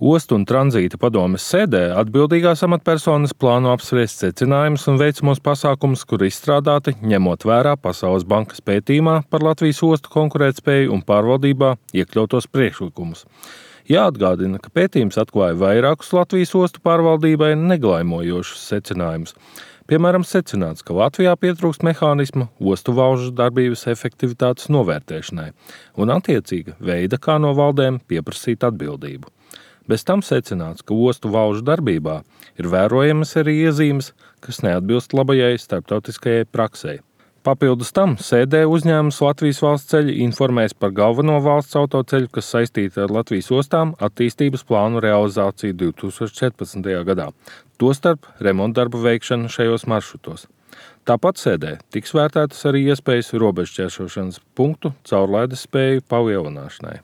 Ostu un tranzīta padomes sēdē atbildīgās amatpersonas plāno apspriest secinājumus un veicamos pasākumus, kur izstrādāti, ņemot vērā Pasaules bankas pētījumā par Latvijas ostu konkurētspēju un pārvaldībā iekļautos priekšlikumus. Jāatgādina, ka pētījums atklāja vairākus Latvijas ostu pārvaldībai neglaimojošus secinājumus. Piemēram, secināts, ka Latvijā pietrūkst mehānisma ostu valžu darbības efektivitātes novērtēšanai un attiecīga veida, kā no valdēm pieprasīt atbildību. Bez tam secināts, ka ostu valžu darbībā ir vērojamas arī iezīmes, kas neatbilst labajai starptautiskajai praksei. Papildus tam sēdē uzņēmums Latvijas valsts ceļi informēs par galveno valsts autoceļu, kas saistīta ar Latvijas ostām attīstības plānu realizāciju 2014. gadā, tostarp remontdarbu veikšanu šajos maršrutos. Tāpat sēdē tiks vērtētas arī iespējas robežšķērsošanas punktu caurlaides spēju palielināšanai.